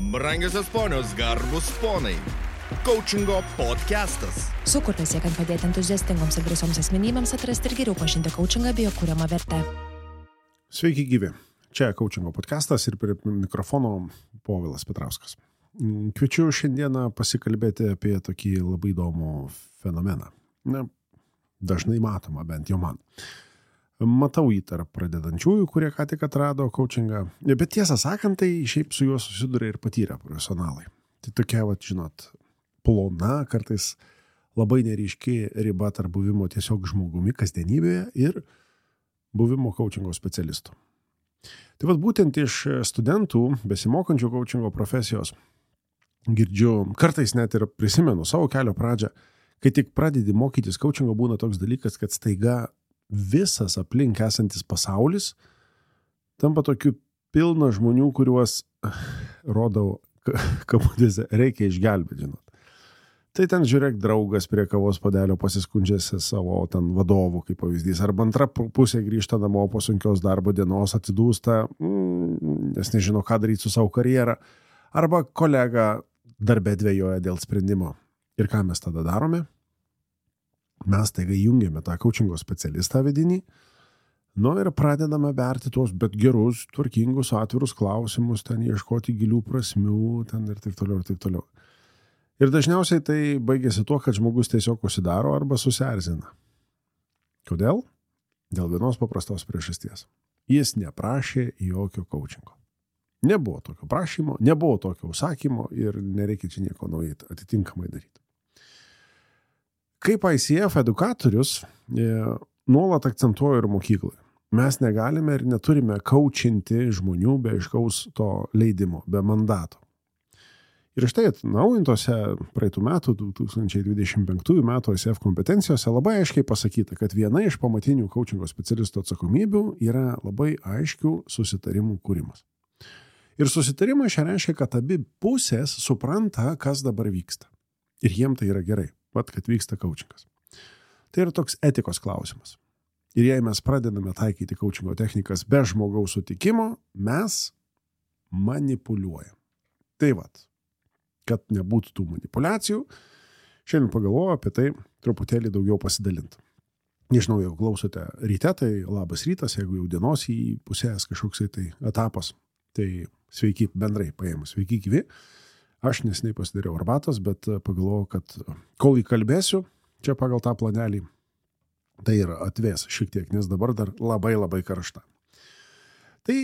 Brangiosios ponios, garbus ponai. Coachingo podcastas. Sukurtas siekiant padėti entuziastingoms ir drąsioms asmenybėms atrasti ir geriau pažinti coachingą bei jo kuriamą vertę. Sveiki gyvi. Čia Coachingo podcastas ir prie mikrofono Povilas Petrauskas. Kviečiu šiandieną pasikalbėti apie tokį labai įdomų fenomeną. Dažnai matoma, bent jau man. Matau jį tarp pradedančiųjų, kurie ką tik atrado coachingą. Bet tiesą sakant, tai šiaip su juo susiduria ir patyrę profesionalai. Tai tokia, plona, kartais labai neryški riba tarp buvimo tiesiog žmogumi kasdienybėje ir buvimo coachingo specialistų. Tai būtent iš studentų, besimokančių coachingo profesijos, girdžiu, kartais net ir prisimenu savo kelio pradžią, kai tik pradedi mokytis coachingo, būna toks dalykas, kad staiga visas aplink esantis pasaulis tampa tokiu pilna žmonių, kuriuos, rodau, kabutėse, reikia išgelbėti, žinot. Tai ten žiūrėk draugas prie kavos puodelio pasiskundžiasi savo ten vadovų, kaip pavyzdys, arba antra pusė grįžta namo po sunkios darbo dienos, atsidūsta, nes nežino, ką daryti su savo karjerą, arba kolega darbe dvejoja dėl sprendimo. Ir ką mes tada darome? Mes taiga jungiame tą coachingo specialistą vidinį, ir pradedame berti tuos bet gerus, tvarkingus, atvirus klausimus, ten ieškoti gilių prasmių, ten ir taip toliau, ir taip toliau. Ir dažniausiai tai baigėsi tuo, kad žmogus tiesiog užsidaro arba susierzina. Kodėl? Dėl vienos paprastos priežasties. Jis neprašė jokio coachingo. Nebuvo tokio prašymo, nebuvo tokio užsakymo ir nereikia čia nieko naujai atitinkamai daryti. Kaip ICF edukatorius nuolat akcentuoju ir mokykloje. Mes negalime ir neturime coachinti žmonių be aiškaus to leidimo, be mandato. Ir štai atnaujintose praeitų metų, 2025 metų ICF kompetencijose labai aiškiai pasakyta, kad viena iš pamatinių coachingo specialistų atsakomybių yra labai aiškių susitarimų kūrimas. Ir susitarimai reiškia, kad abi pusės supranta, kas dabar vyksta. Ir jiem tai yra gerai. Kad vyksta coachingas. Tai yra toks etikos klausimas. Ir jei mes pradedame taikyti coachingo technikas be žmogaus sutikimo, mes manipuliuojam. Tai kad nebūtų tų manipulacijų, šiandien pagalvoju apie tai truputėlį daugiau pasidalinti. Nežinau, jeigu klausote ryte, tai labas rytas, jeigu jau dienos į pusės kažkoksai tai etapas, tai sveiki bendrai paėmus, sveiki gyvi. Aš neseniai pasidariau arbatos, bet pagalvojau, kad kol įkalbėsiu, čia pagal tą planelį, tai ir atvės šiek tiek, nes dabar dar labai labai karšta. Tai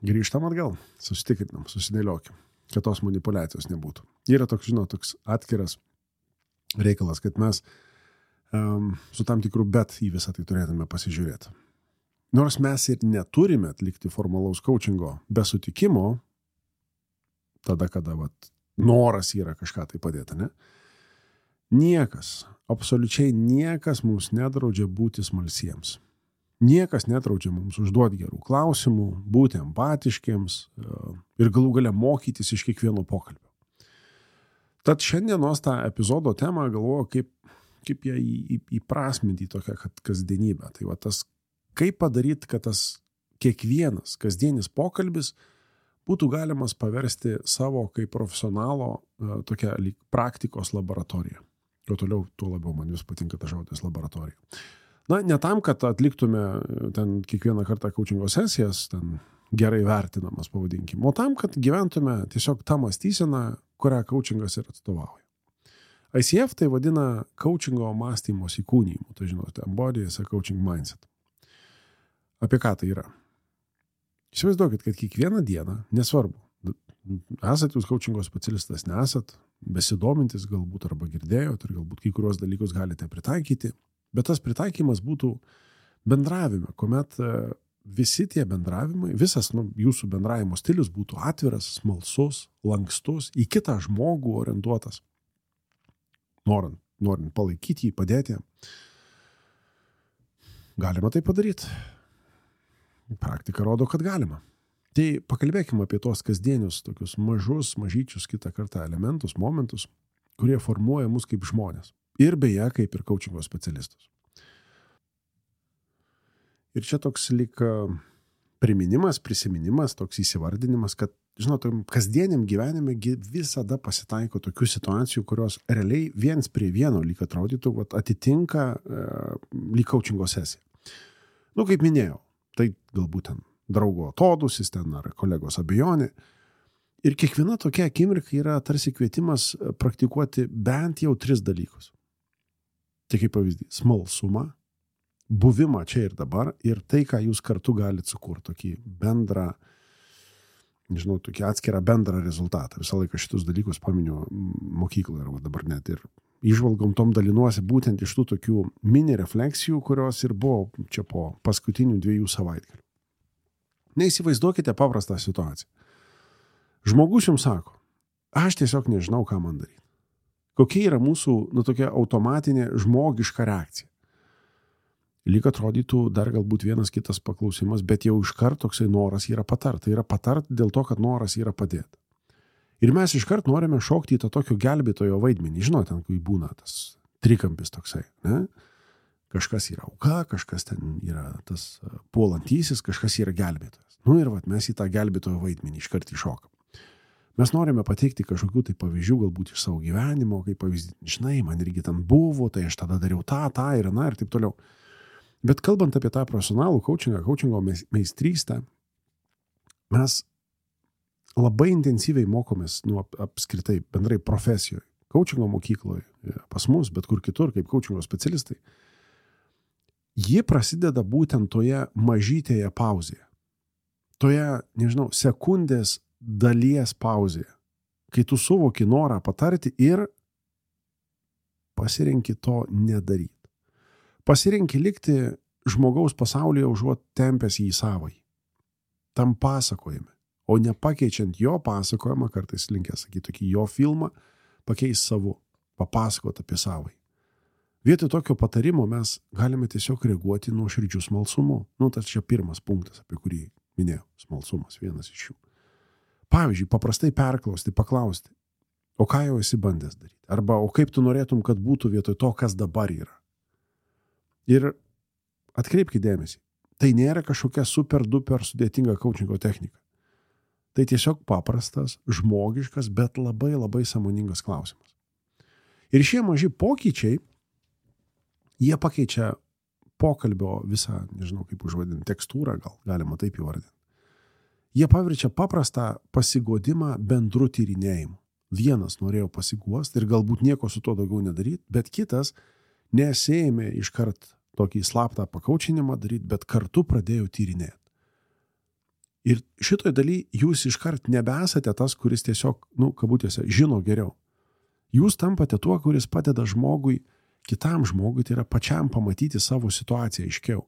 grįžtam atgal, susitikrinam, susidėliokim, kad tos manipulacijos nebūtų. Yra toks atskiras reikalas, kad mes su tam tikru bet į visą tai turėtume pasižiūrėti. Nors mes ir neturime atlikti formalaus coachingo be sutikimo, tada, kada noras yra kažką tai padėti, ne? Niekas, absoliučiai niekas mums nedraudžia būti smalsiems. Niekas nedraudžia mums užduoti gerų klausimų, būti empatiškiems ir galų gale mokytis iš kiekvieno pokalbio. Tad šiandienos tą epizodo temą galvoju, kaip ją įprasminti į tokią kasdienybę. Tai tas, kaip padaryti, kad tas kiekvienas kasdienis pokalbis būtų galimas paversti savo kaip profesionalo tokią praktikos laboratoriją. Tuo toliau, tuo labiau man vis patinka ta žodis laboratorija. Ne tam, kad atliktume ten kiekvieną kartą coachingo sesijas, ten gerai vertinamas pavadinkim, o tam, kad gyventume tiesiog tą mąstyseną, kurią coachingas ir atstovauja. ICF tai vadina coachingo mąstymos įkūnijimu, tai žinote, embody as a coaching mindset. Apie ką tai yra? Įsivaizduokit, kad kiekvieną dieną, nesvarbu, esat jūs coachingo specialistas, nesat, besidomintis galbūt arba girdėjot ir galbūt kai kurios dalykus galite pritaikyti, bet tas pritaikymas būtų bendravime, kuomet visi tie bendravimai, visas jūsų bendravimo stilius būtų atviras, smalsus, lankstus, į kitą žmogų orientuotas, norint palaikyti jį, padėti. Galima tai padaryti. Praktika rodo, kad galima. Tai pakalbėkime apie tos kasdienius, tokius mažyčius kitą kartą elementus, momentus, kurie formuoja mus kaip žmonės. Ir beje, kaip ir coachingo specialistus. Ir čia toks lyg prisiminimas, toks įsivardinimas, kad, žinot, kasdieniam gyvenime visada pasitaiko tokių situacijų, kurios realiai viens prie vieno lyg atrodytų, atitinka lyg coachingo sesiją. Kaip minėjau, tai galbūt ten draugo atodūsis ten ar kolegos abejonė. Ir kiekviena tokia akimirka yra tarsi kvietimas praktikuoti bent jau 3 dalykus. Tai kaip pavyzdys, smalsumą, buvimą čia ir dabar ir tai, ką jūs kartu galite sukurti, tokį bendrą, tokį atskirą bendrą rezultatą. Visą laiką šitus dalykus paminiu mokykloje ir dabar net ir įžvalgom tom dalinuosi būtent iš tų tokių mini refleksijų, kurios ir buvo čia po paskutinių 2 savaitgalių. Neįsivaizduokite paprastą situaciją. Žmogus jums sako, aš tiesiog nežinau, ką man daryti. Kokia yra mūsų, tokia automatinė žmogiška reakcija. Lyg atrodytų dar galbūt vienas kitas paklausimas, bet jau iškart toksai noras yra patart. Tai yra patart dėl to, kad noras yra padėti. Ir mes iškart norime šokti į tą tokio gelbėtojo vaidmenį. Žinote, ten, kai būna tas trikampis toksai, ne? Kažkas yra auka, kažkas ten yra tas puolantysis, kažkas yra gelbėtojas. Ir mes į tą gelbėtojo vaidmenį iškart įšokam. Mes norime pateikti kažkokių tai pavyzdžių, galbūt iš savo gyvenimo, kaip pavyzdį, žinai, man irgi ten buvo, tai aš tada dariau tą ir taip toliau. Bet kalbant apie tą profesionalų coachingo meistrystę, mes labai intensyviai mokomės apskritai bendrai profesijoje, coachingo mokykloje, pas mus, bet kur kitur, kaip coachingo specialistai. Ji prasideda būtent toje mažytėje pauzėje. Toje, sekundės dalies pauzėje, kai tu suvoki norą patarti ir pasirenki to nedaryti. Pasirenki likti žmogaus pasaulyje užuot tempęs į savąjį. Tam pasakojime, o nepakeičiant jo pasakojimą, kartais linkęs sakyti tokį jo filmą, pakeis savo, papasakot apie savąjį. Vietoj tokio patarimo mes galime tiesiog reaguoti nuoširdžiu smalsumu. Tas čia pirmas punktas, apie kurį minėjau. Smalsumas, vienas iš jų. Pavyzdžiui, paprastai perklausti, paklausti, o ką jau esi bandęs daryti? Arba, o kaip tu norėtum, kad būtų vietoj to, kas dabar yra? Ir atkreipkite dėmesį, tai nėra kažkokia super duper sudėtinga coachingo technika. Tai tiesiog paprastas, žmogiškas, bet labai labai sąmoningas klausimas. Ir šie maži pokyčiai, jie pakeičia pokalbio visą, nežinau kaip užvadinti, tekstūrą, gal galima taip įvardinti. Jie paverčia paprastą pasigodimą bendru tyrinėjimu. Vienas norėjo pasiguosti ir galbūt nieko su to daugiau nedaryti, bet kitas nesėjame iškart tokį slaptą pakaučinimą daryti, bet kartu pradėjo tyrinėti. Ir šitoj daly jūs iškart nebesate tas, kuris tiesiog, kabutėse, žino geriau. Jūs tampate tuo, kuris padeda žmogui, kitam žmogui, tai yra pačiam pamatyti savo situaciją aiškiau.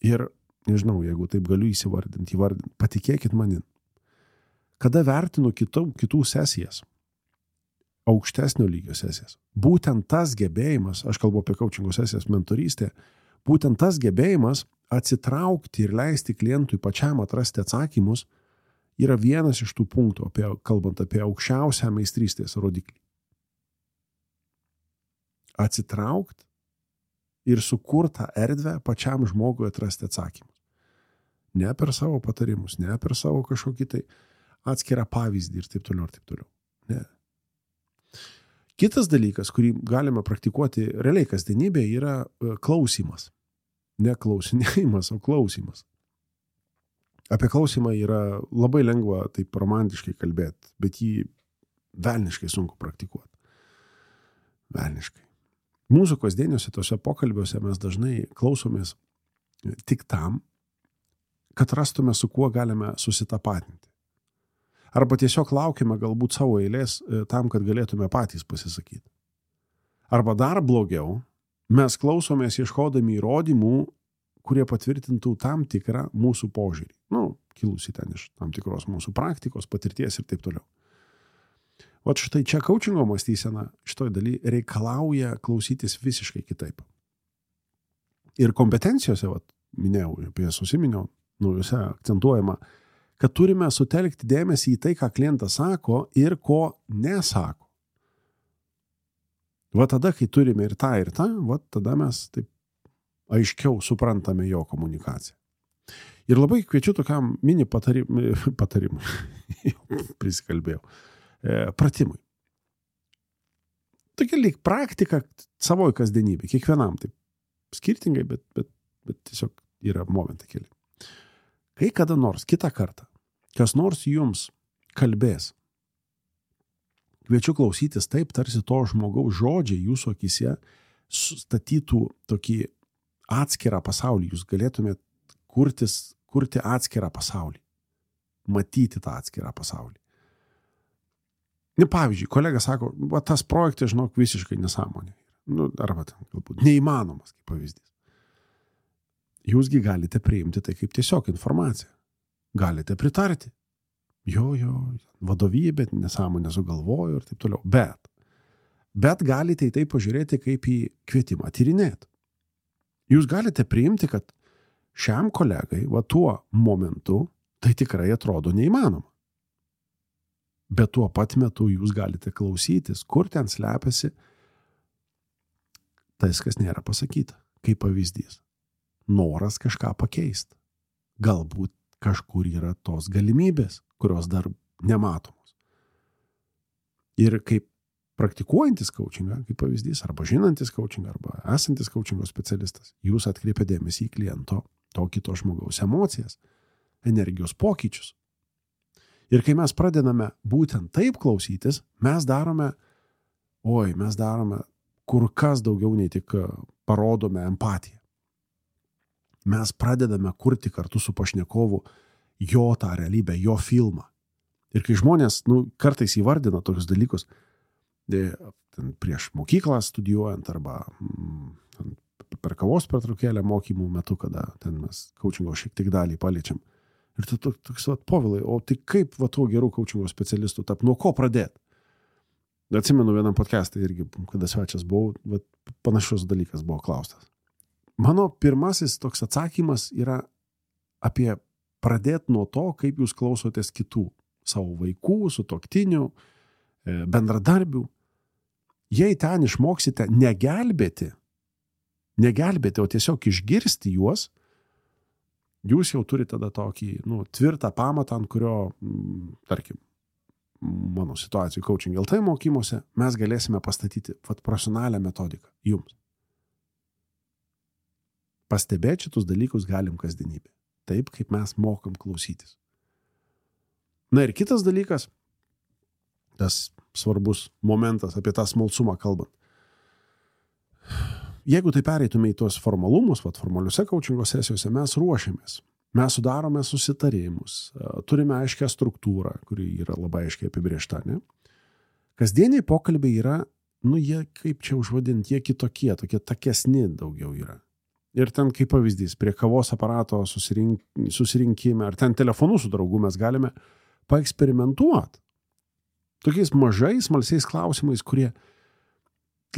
Ir, nežinau, jeigu taip galiu įvardinti, patikėkit manin. Kada vertinu kitų sesijas, aukštesnio lygio sesijas. Būtent tas gebėjimas, aš kalbu apie coachingo sesijas mentorystė, būtent tas gebėjimas atsitraukti ir leisti klientui pačiam atrasti atsakymus yra vienas iš tų punktų, kalbant apie aukščiausią meistrystės rodiklį. Atsitraukti ir sukurtą erdvę pačiam žmogui atrasti atsakymus. Ne per savo patarimus, ne per savo kažkokį tai atskirą pavyzdį ir taip toliau ir taip toliau. Ne. Kitas dalykas, kurį galime praktikuoti realiai kasdienybėje, yra klausimas. Ne klausinėjimas, o klausimas. Apie klausimą yra labai lengva taip romantiškai kalbėti, bet jį velniškai sunku praktikuoti. Velniškai. Mūsų kasdieniuose tose pokalbiuose mes dažnai klausomės tik tam, kad rastume, su kuo galime susitapatinti. Arba tiesiog laukime galbūt savo eilės tam, kad galėtume patys pasisakyti. Arba dar blogiau, mes klausomės ieškodami įrodymų, kurie patvirtintų tam tikrą mūsų požiūrį. Kilusi ten iš tam tikros mūsų praktikos, patirties ir taip toliau. Vat štai čia coachingo mąstysena šitoj daly reikalauja klausytis visiškai kitaip. Ir kompetencijose, minėjau, apie jas užsiminiau, juose akcentuojama, kad turime sutelkti dėmesį į tai, ką klientas sako ir ko nesako. Tada, kai turime ir tą, tada mes taip aiškiau suprantame jo komunikaciją. Ir labai kviečiu tokiam mini patarimui, prisikalbėjau, pratimui. Tokia lyg praktika savoj kasdienybė, kiekvienam taip skirtingai, bet tiesiog yra momentai keli. Kai kada nors, kitą kartą, kas nors jums kalbės, kviečiu klausytis taip, tarsi to žmogaus žodžiai jūsų akise statytų tokį atskirą pasaulį. Jūs galėtumėt kurti atskirą pasaulį. Matyti tą atskirą pasaulį. Pavyzdžiui, kolega sako, tas projektas, žinok, visiškai nesąmonė. Arba ten, galbūt, neįmanomas, kaip pavyzdys. Jūsgi galite priimti tai kaip tiesiog informaciją. Galite pritarti. Jo, vadovybė, nesąmonė sugalvojo ir taip toliau. Bet galite į tai pažiūrėti kaip į kvietimą tyrinėti. Jūs galite priimti, kad šiam kolegai, tuo momentu, tai tikrai atrodo neįmanoma. Bet tuo pat metu jūs galite klausytis, kur ten slepiasi tas, kas nėra pasakyta, kaip pavyzdys. Noras kažką pakeisti. Galbūt kažkur yra tos galimybės, kurios dar nematomos. Ir kaip praktikuojantis coachingą, kaip pavyzdys, arba žinantis coachingą, arba esantis coachingo specialistas, jūs atkreipia dėmesį į kliento, to kito žmogaus emocijas, energijos pokyčius. Ir kai mes pradedame būtent taip klausytis, mes darome kur kas daugiau nei tik parodome empatiją. Mes pradedame kurti kartu su pašnekovu jo tą realybę, jo filmą. Ir kai žmonės kartais įvardina tokius dalykus, prieš mokyklą studijuojant arba per kavos pertraukėlę mokymų metu, kada ten mes coachingo šiek tiek dalį paliečiam. Ir tu toks, Povilai, o tai kaip to gerų coachingo specialistų tap, nuo ko pradėti? Atsimenu vienam podcast'e irgi, kada svečias buvau, panašus dalykas buvo klaustas. Mano pirmasis toks atsakymas yra apie pradėti nuo to, kaip jūs klausotės kitų, savo vaikų, sutuoktinių, bendradarbių. Jei ten išmoksite negelbėti, o tiesiog išgirsti juos, jūs jau turite tada tokį tvirtą pamatą, ant kurio, tarkim, mano situacijų coaching LT mokymuose, mes galėsime pastatyti profesionalią metodiką jums. Pastebėti šitus dalykus galim kasdienybė. Taip, kaip mes mokam klausytis. Na ir kitas dalykas, tas svarbus momentas apie tą smalsumą kalbant. Jeigu tai pereitume į tuos formalumus, formaliuose coachingo sesijose mes ruošiamės. Mes sudarome susitarimus, turime aiškę struktūrą, kuri yra labai aiškiai apibrėžta, ne? Kasdieniai pokalbiai yra, jie, kaip čia užvadinti, jie kitokie, tokie takesni daugiau yra. Ir ten, kaip pavyzdys, prie kavos aparato susirinkime, ar ten telefonu su draugu mes galime paeksperimentuoti. Tokiais mažais, smalsiais klausimais, kurie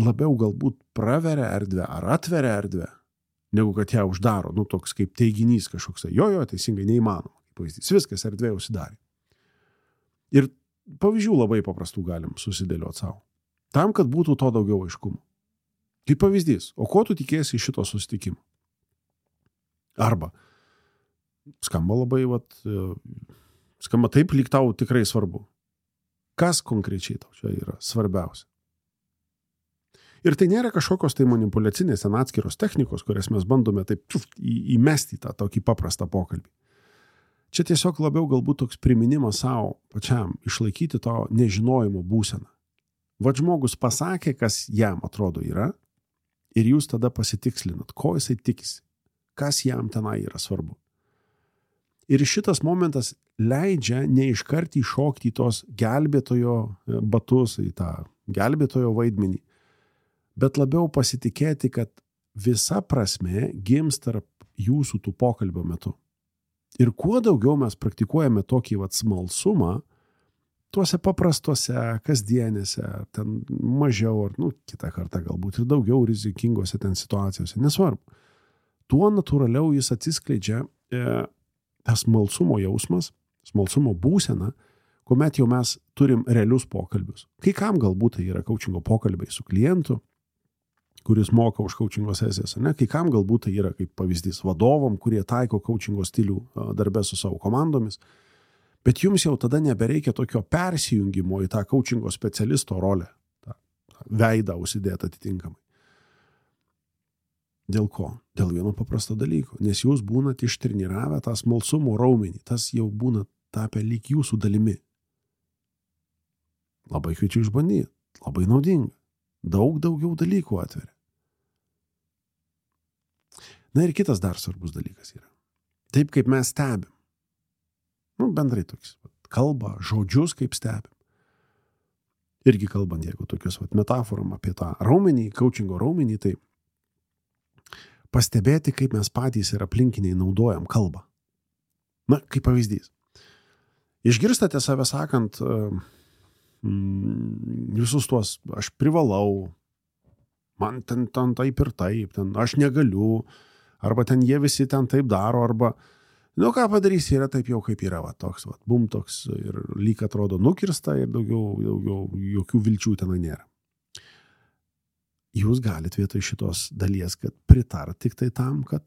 labiau galbūt praveria erdvę ar atveria erdvę, negu kad ją uždaro, toks kaip teiginys kažkoks. Jo, teisingai neįmanoma. Pavyzdys, viskas erdvė užsidarė. Ir pavyzdžių labai paprastų galim susidėlioti savo. Tam, kad būtų to daugiau aiškumo. Kaip pavyzdys, o ko tu tikėsi iš šito susitikimo? Arba skamba labai, skamba taip, lyg tau tikrai svarbu. Kas konkrečiai tau čia yra svarbiausia? Ir tai nėra kažkokios tai manipuliacinės atskiros technikos, kurias mes bandome taip įmesti tą tokį paprastą pokalbį. Čia tiesiog labiau galbūt toks priminimas savo pačiam išlaikyti to nežinojimo būseną. Žmogus pasakė, kas jam atrodo yra, ir jūs tada pasitikslinat, ko jisai tikisi, kas jam tenai yra svarbu. Ir šitas momentas leidžia neiškart įšokti į tos gelbėtojo batus, į tą gelbėtojo vaidmenį, bet labiau pasitikėti, kad visa prasme gims tarp jūsų tų pokalbio metu. Ir kuo daugiau mes praktikuojame tokį smalsumą, tuose paprastuose, kasdienėse, ten mažiau, ar kitą kartą galbūt ir daugiau rizikingose ten situacijose, nesvarbu. Tuo natūraliau jis atsiskleidžia tas smalsumo jausmas, smalsumo būsena, kuomet jau mes turim realius pokalbius. Kai kam galbūt tai yra coachingo pokalbiai su klientu, kuris moka už coachingo sesijas, ne? Kai kam galbūt tai yra kaip pavyzdys vadovom, kurie taiko coachingo stilių darbe su savo komandomis, bet jums jau tada nebereikia tokio persijungimo į tą coachingo specialisto rolę, tą veidą užsidėti atitinkamai. Dėl ko? Dėl vieno paprasto dalyko, nes jūs būnat ištreniravę tą smalsumo raumenį, tas jau būna tapę lyg jūsų dalimi. Labai kviečiu išbandyti, labai naudinga, daug daugiau dalykų atveria. Na ir kitas dar svarbus dalykas yra. Taip kaip mes stebim, bendrai toks, kalba, žodžius kaip stebim. Irgi kalbant, jeigu tokius metaforom apie tą raumenį, coachingo raumenį, tai pastebėti, kaip mes patys ir aplinkiniai naudojam kalbą. Na, kaip pavyzdys. Išgirstate save sakant visus tuos, aš privalau, man ten taip ir taip, ten aš negaliu, arba ten jie visi ten taip daro, arba, ką padarysi, yra taip jau kaip yra, toks, bum toks, ir lyg atrodo nukirsta, ir daugiau jokių vilčių tenai nėra. Jūs galite vietoj šitos dalies, kad pritart tik tai tam, kad,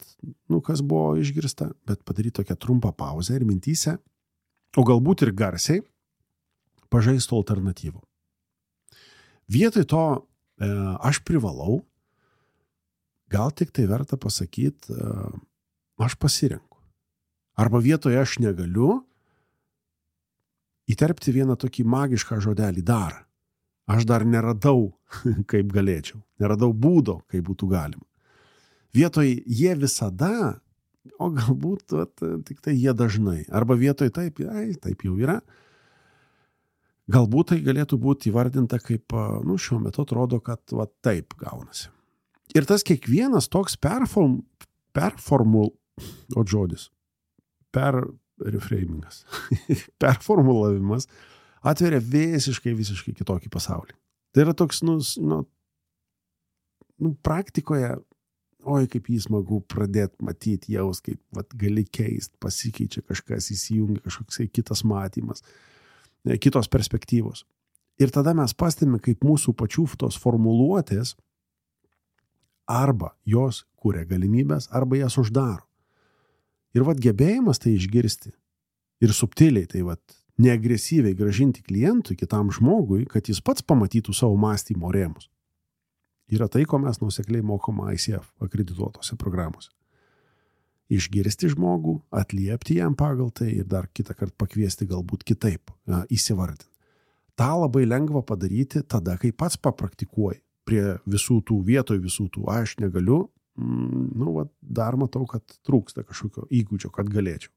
kas buvo išgirsta, bet padaryti tokią trumpą pauzę ir mintyse, o galbūt ir garsiai, pažaistų alternatyvų. Vietoj to aš privalau, gal tik tai verta pasakyti, aš pasirenku. Arba vietoje aš negaliu įterpti vieną tokį magišką žodelį dar. Aš dar neradau, kaip galėčiau. Neradau būdo, kaip būtų galima. Vietoj jie visada, o galbūt tik tai jie dažnai. Arba vietoj taip jau yra. Galbūt tai galėtų būti įvardinta kaip, šiuo metu atrodo, kad taip gaunasi. Ir tas kiekvienas toks performulavimas atveria visiškai kitokį pasaulį. Tai yra toks, praktikoje, kaip jį smagu pradėti matyti, jaus, kaip gali keist, pasikeičia kažkas, įsijungia kažkoks kitas matymas, kitos perspektyvos. Ir tada mes pastebime, kaip mūsų pačių tos formuluotės arba jos kuria galimybės, arba jas uždaro. Ir gebėjimas tai išgirsti ir subtiliai tai neagresyviai grąžinti klientui, kitam žmogui, kad jis pats pamatytų savo mąstymo rėmus. Yra tai, ko mes nuosekliai mokoma ICF akredituotose programose. Išgirsti žmogų, atliepti jam pagal tai ir dar kitą kartą pakviesti galbūt kitaip įsivardinti. Ta labai lengva padaryti tada, kai pats papraktikuoji prie visų tų vietoj, visų tų aš negaliu, dar matau, kad trūksta kažkokio įgūdžio, kad galėčiau.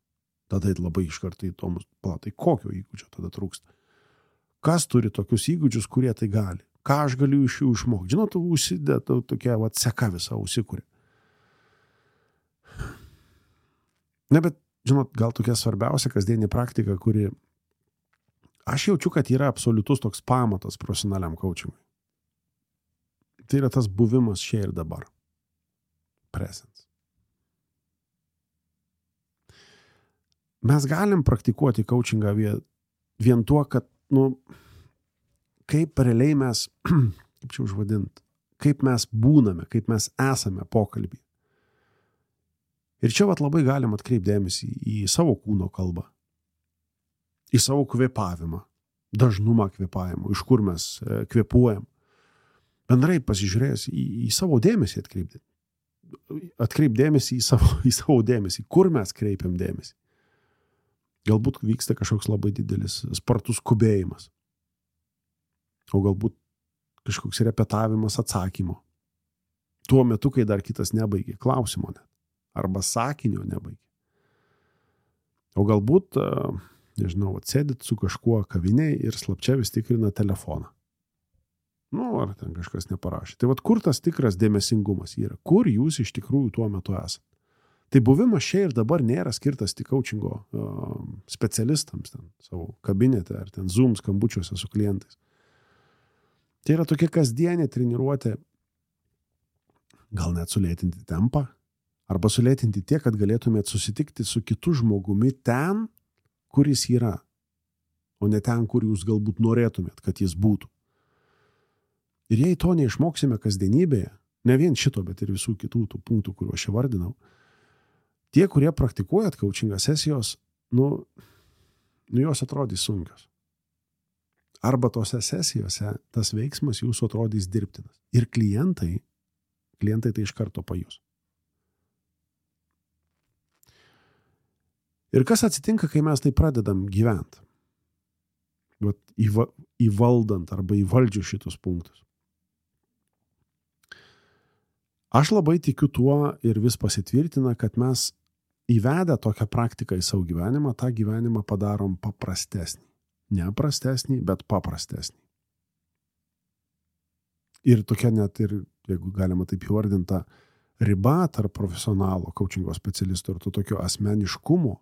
Tada labai iš karto įdomus, tai kokio įgūdžio tada trūksta. Kas turi tokius įgūdžius, kurie tai gali? Ką aš galiu iš jų išmokti? Žinot, užsidėta tokia seka visą užsikūrė. Ne, bet, žinot, gal tokia svarbiausia kasdienė praktika, kuri aš jaučiu, kad yra absoliutus toks pamatas profesionaliam coachingui. Tai yra tas buvimas čia ir dabar. Presence. Mes galim praktikuoti coachingą vien tuo, kad, kaip realiai mes, kaip čia užvadinti, kaip mes būname, kaip mes esame pokalbį. Ir čia labai galim atkreipti dėmesį į savo kūno kalbą, į savo kvėpavimą, dažnumą kvėpavimo, iš kur mes kvėpuojam. Bendrai pasižiūrėjęs į savo dėmesį atkreip dėmesį į savo dėmesį, kur mes kreipiam dėmesį. Galbūt vyksta kažkoks labai didelis spartus skubėjimas. O galbūt kažkoks repetavimas atsakymo. Tuo metu, kai dar kitas nebaigė klausimo net. Arba sakinio nebaigė. O galbūt, sėdit su kažkuo kavinėje ir slapčia vis tikrina telefoną. Ar ten kažkas neparašė. Tai kur tas tikras dėmesingumas yra? Kur jūs iš tikrųjų tuo metu esate? Tai buvimas čia ir dabar nėra skirtas tik coachingo specialistams ten, savo kabinete ar ten Zoom skambučiuose su klientais. Tai yra tokia kasdienė treniruotė, gal net sulėtinti tempą, arba sulėtinti tiek, kad galėtumėt susitikti su kitu žmogumi ten, kur jis yra, o ne ten, kur jūs galbūt norėtumėt, kad jis būtų. Ir jei to neišmoksime kasdienybėje, ne vien šito, bet ir visų kitų tų punktų, kuriuos aš vardinau, tie, kurie praktikuojat coachingą sesijos, jos atrodys sunkios. Arba tose sesijose tas veiksmas jūsų atrodys dirbtinas. Ir klientai tai iš karto pajus. Ir kas atsitinka, kai mes tai pradedam gyventi? Įvaldant arba įvaldžiu šitus punktus. Aš labai tikiu tuo ir vis pasitvirtina, kad mes įvedę tokią praktiką į savo gyvenimą, tą gyvenimą padarom paprastesnį. Ne prastesnį, bet paprastesnį. Ir tokia net ir, jeigu galima taip įvardinta, riba tarp profesionalo, coachingo specialisto ir to tokio asmeniškumo,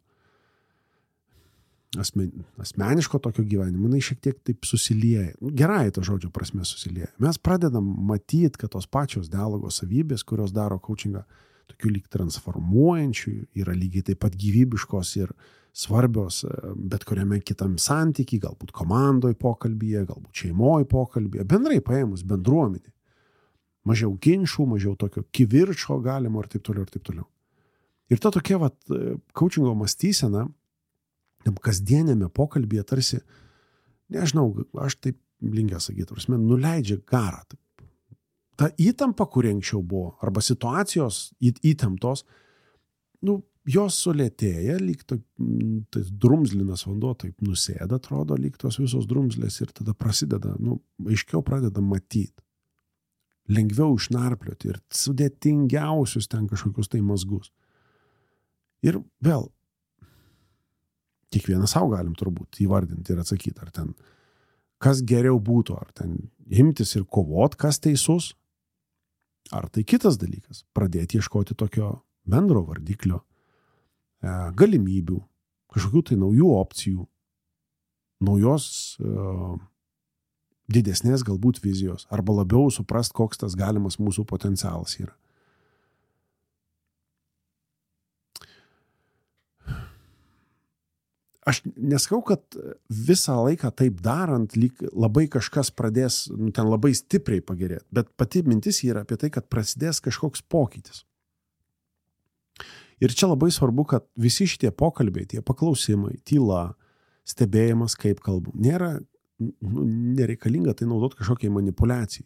asmeniško tokio gyvenimo, jinai šiek tiek taip susilieja. Gerai to žodžio prasme susilieja. Mes pradedam matyti, kad tos pačios dialogo savybės, kurios daro coachingą tokių lyg transformuojančių, yra lygiai taip pat gyvybiškos ir svarbios bet kuriame kitam santykiai, galbūt komandoje pokalbyje, galbūt šeimoje pokalbyje, bendrai paėmus bendruomenė. Mažiau ginčų, mažiau tokio kivirčo galimo ir taip toliau ir taip toliau. Ir ta tokia coachingo mąstysena, kasdienėme pokalbyje tarsi, nežinau, aš taip linkęs sakyti, nuleidžia garą. Ta įtampa, kuri anksčiau buvo, arba situacijos įtemptos, jos sulėtėja, lyg tas drumzlinas vanduo taip nusėda, atrodo, lyg tos visos drumzlės ir tada prasideda, aiškiau pradeda matyti. Lengviau išnarplioti ir sudėtingiausius ten kažkokius tai mazgus. Ir vėl, kiekvieną savo galim turbūt įvardinti ir atsakyti, ar ten kas geriau būtų, ar ten imtis ir kovot, kas teisus, ar tai kitas dalykas, pradėti ieškoti tokio bendro vardiklio, galimybių, kažkokių tai naujų opcijų, naujos didesnės galbūt vizijos, arba labiau suprast, koks tas galimas mūsų potencialas yra. Aš nesakau, kad visą laiką taip darant, lyg labai kažkas pradės ten labai stipriai pagerėti, bet pati mintis yra apie tai, kad prasidės kažkoks pokytis. Ir čia labai svarbu, kad visi šitie pokalbiai, tie paklausimai, tyla, stebėjimas, kaip kalbu, nėra nereikalinga tai naudoti kažkokiai manipulacijai.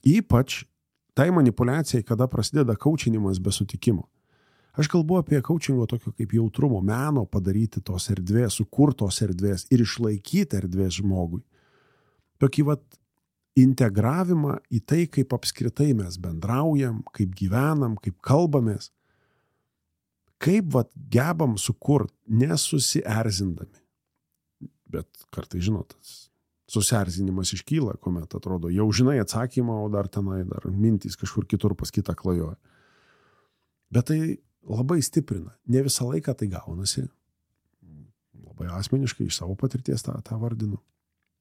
Ypač tai manipulacijai, kada prasideda coachinimas be sutikimo. Aš kalbu apie coachingo tokio kaip jautrumo, meno padaryti tos erdvės, sukurtos erdvės ir išlaikyti erdvės žmogui. Tokį integravimą į tai, kaip apskritai mes bendraujam, kaip gyvenam, kaip kalbamės. Kaip gebam sukurt, nesusierzindami. Bet kartai, žinot, susierzinimas iškyla, kuomet atrodo, jau žinai atsakymą, o dar mintys kažkur kitur pas kitą klajoja. Bet tai labai stiprina. Ne visą laiką tai gaunasi. Labai asmeniškai iš savo patirties tą vardinu.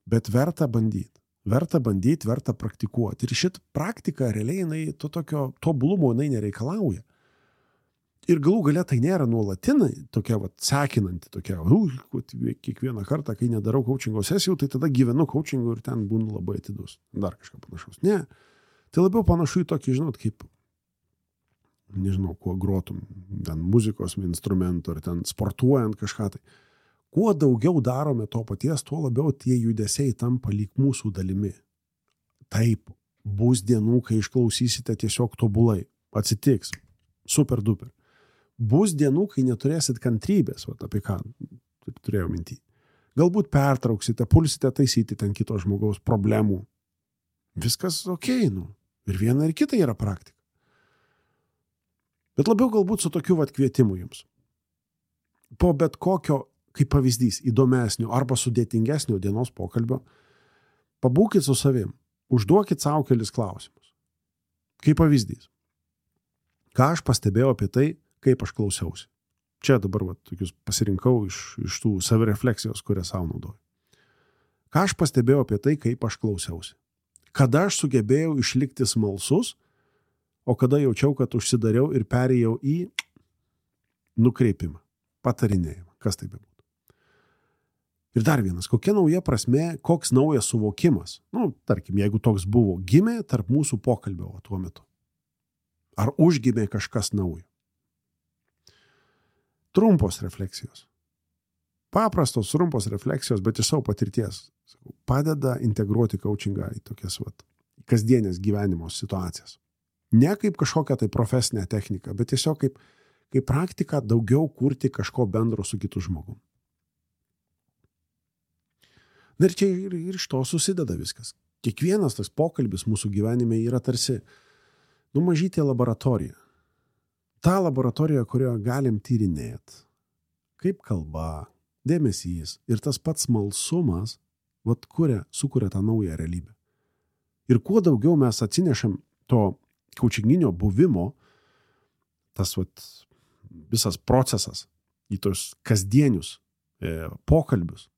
Bet verta bandyti. Verta praktikuoti. Ir šitą praktiką realiai to tokio tobulumo nereikalauja. Ir galų gale tai nėra nuolatinai, tokia sekinanti, tokia, kiekvieną kartą, kai nedarau coachingo sesijų, tai tada gyvenu coachingu ir ten būnu labai atidus. Dar kažką panašaus. Ne. Tai labiau panašu į tokį, žinot, kaip, nežinau, kuo grotum, ten muzikos instrumentų, ar ten sportuojant kažką tai. Kuo daugiau darome to paties, tuo labiau tie judesiai tampa lyg mūsų dalimi. Taip, bus dienų, kai išklausysite tiesiog tobulai. Atsitiks. Super duper. Bus dienų, kai neturėsit kantrybės, apie ką turėjau mintį. Galbūt pertrauksite, pulsite taisyti ten kito žmogaus problemų. Viskas okei, ir viena ir kita yra praktika. Bet labiau galbūt su tokiu kvietimu jums. Po bet kokio, kaip pavyzdys, įdomesnio arba sudėtingesnio dienos pokalbio, pabūkit su savim, užduokit savo kelis klausimus. Kaip pavyzdys. Ką aš pastebėjau apie tai, kaip aš klausiausi. Čia dabar tokius pasirinkau iš tų savirefleksijos, kurią savo naudoju. Ką aš pastebėjau apie tai, kaip aš klausiausi. Kada aš sugebėjau išlikti smalsus, o kada jaučiau, kad užsidariau ir perėjau į nukreipimą, patarinėjimą, kas tai bebūtų. Ir dar vienas, kokia nauja prasmė, koks naujas suvokimas, tarkim, jeigu toks buvo, gimė tarp mūsų pokalbio tuo metu. Ar užgimė kažkas naujo? Trumpos refleksijos. Paprastos, trumpos refleksijos, bet iš savo patirties padeda integruoti coachingą į tokias kasdienės gyvenimo situacijas. Ne kaip kažkokią tai profesinę techniką, bet tiesiog kaip praktika daugiau kurti kažko bendro su kitu žmogum. Na ir čia ir iš to susideda viskas. Kiekvienas tas pokalbis mūsų gyvenime yra tarsi mažytė laboratorija. Ta laboratorija, kurioje galim tyrinėti, kaip kalba, dėmesys ir tas pats smalsumas sukuria tą naują realybę. Ir kuo daugiau mes atsinešam to coachinginio buvimo, tas visas procesas į tos kasdienius pokalbius,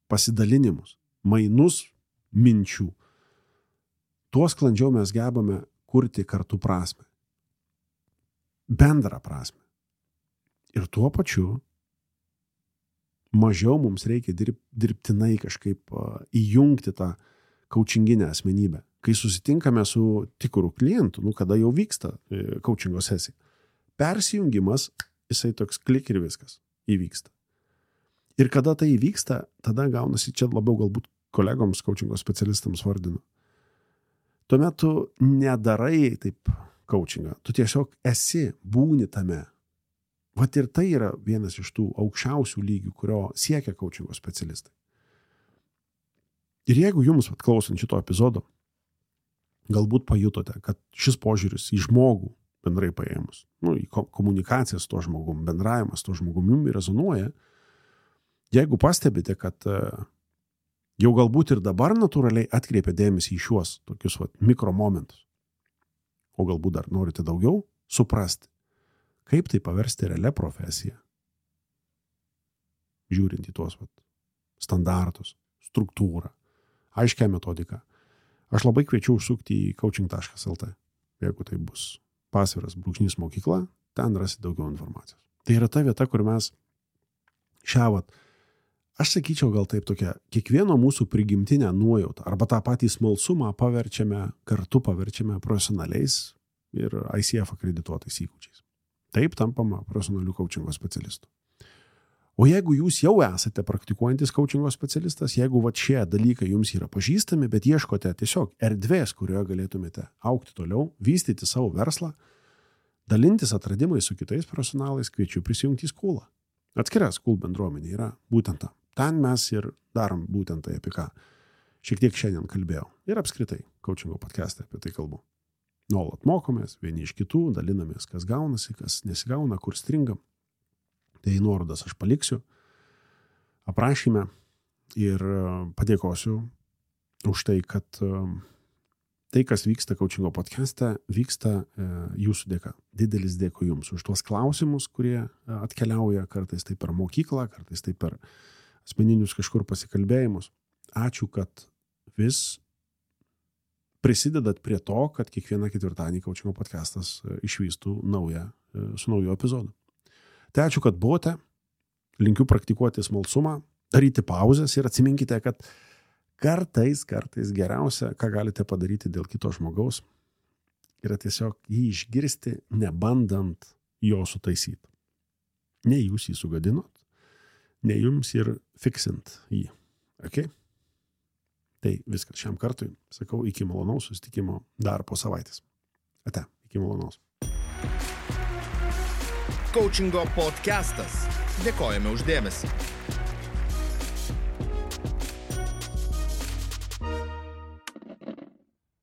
pasidalinimus, mainus minčių, tuo sklandžiau mes gebame kurti kartu prasmę. Bendrą prasmę. Ir tuo pačiu mažiau mums reikia dirbtinai kažkaip įjungti tą coachinginę asmenybę. Kai susitinkame su tikru klientu, kada jau vyksta coachingo sesija, persijungimas, jisai toks klik ir viskas įvyksta. Ir kada tai įvyksta, tada gaunasi, čia labiau galbūt kolegoms coachingo specialistams vardinu. Tuomet tu nedarai taip coachingą, tu tiesiog būni tame. Ir tai yra vienas iš tų aukščiausių lygių, kurio siekia coachingo specialistai. Ir jeigu jums, klausant šito epizodo, galbūt pajutote, kad šis požiūris į žmogų bendrai paėmus, į komunikacijas su to žmogum, bendravimas su to žmogumi rezonuoja, jeigu pastebite, kad jau galbūt ir dabar natūraliai atkreipia dėmesį į šiuos tokius mikromomentus, o galbūt dar norite daugiau suprasti, kaip tai paversti realią profesiją, žiūrint į tuos standartus, struktūrą, aiškią metodiką. Aš labai kviečiu užsukti į coaching.lt. Jeigu tai bus pasviras / mokykla, ten rasi daugiau informacijos. Tai yra ta vieta, kur mes aš sakyčiau gal taip tokia, kiekvieno mūsų prigimtinę nuojautą arba tą patį smalsumą kartu paverčiame profesionaliais ir ICF akredituotais įgūdžiais. Taip tampama profesionalių coachingo specialistų. O jeigu jūs jau esate praktikuojantis coachingo specialistas, jeigu šie dalykai jums yra pažįstami, bet ieškote tiesiog erdvės, kurioje galėtumėte augti toliau, vystyti savo verslą, dalintis atradimais su kitais profesionalais, kviečiu prisijungti į Schoolą. Atskira School bendruomenė yra būtent ta. Ten mes ir darom būtent tai, apie ką šiek tiek šiandien kalbėjau. Ir apskritai coachingo podcast'e apie tai kalbu. Nuolat mokomės, vieni iš kitų, dalinamės, kas gaunasi, kas nesigauna, kur stringam. Tai nuorodas aš paliksiu aprašyme ir padėkosiu už tai, kad tai, kas vyksta coachingo podcast'e, vyksta jūsų dėka. Didelis dėkui jums už tuos klausimus, kurie atkeliauja kartais tai per mokyklą, kartais tai per asmeninius kažkur pasikalbėjimus. Ačiū, kad vis prisidedat prie to, kad kiekvieną ketvirtadienį coachingo podcastas išvystų su nauju epizodu. Tai ačiū, kad buvote. Linkiu praktikuoti smalsumą, daryti pauzes ir atsiminkite, kad kartais geriausia, ką galite padaryti dėl kito žmogaus, yra tiesiog jį išgirsti, nebandant jo sutaisyti. Ne jūs jį sugadinot, ne jums ir fiksint jį. Okay? Tai viskas šiam kartui. Sakau, iki malonaus susitikimo dar po savaitės. Ate, iki malonaus. Coachingo podcastas. Dėkojame už dėmesį.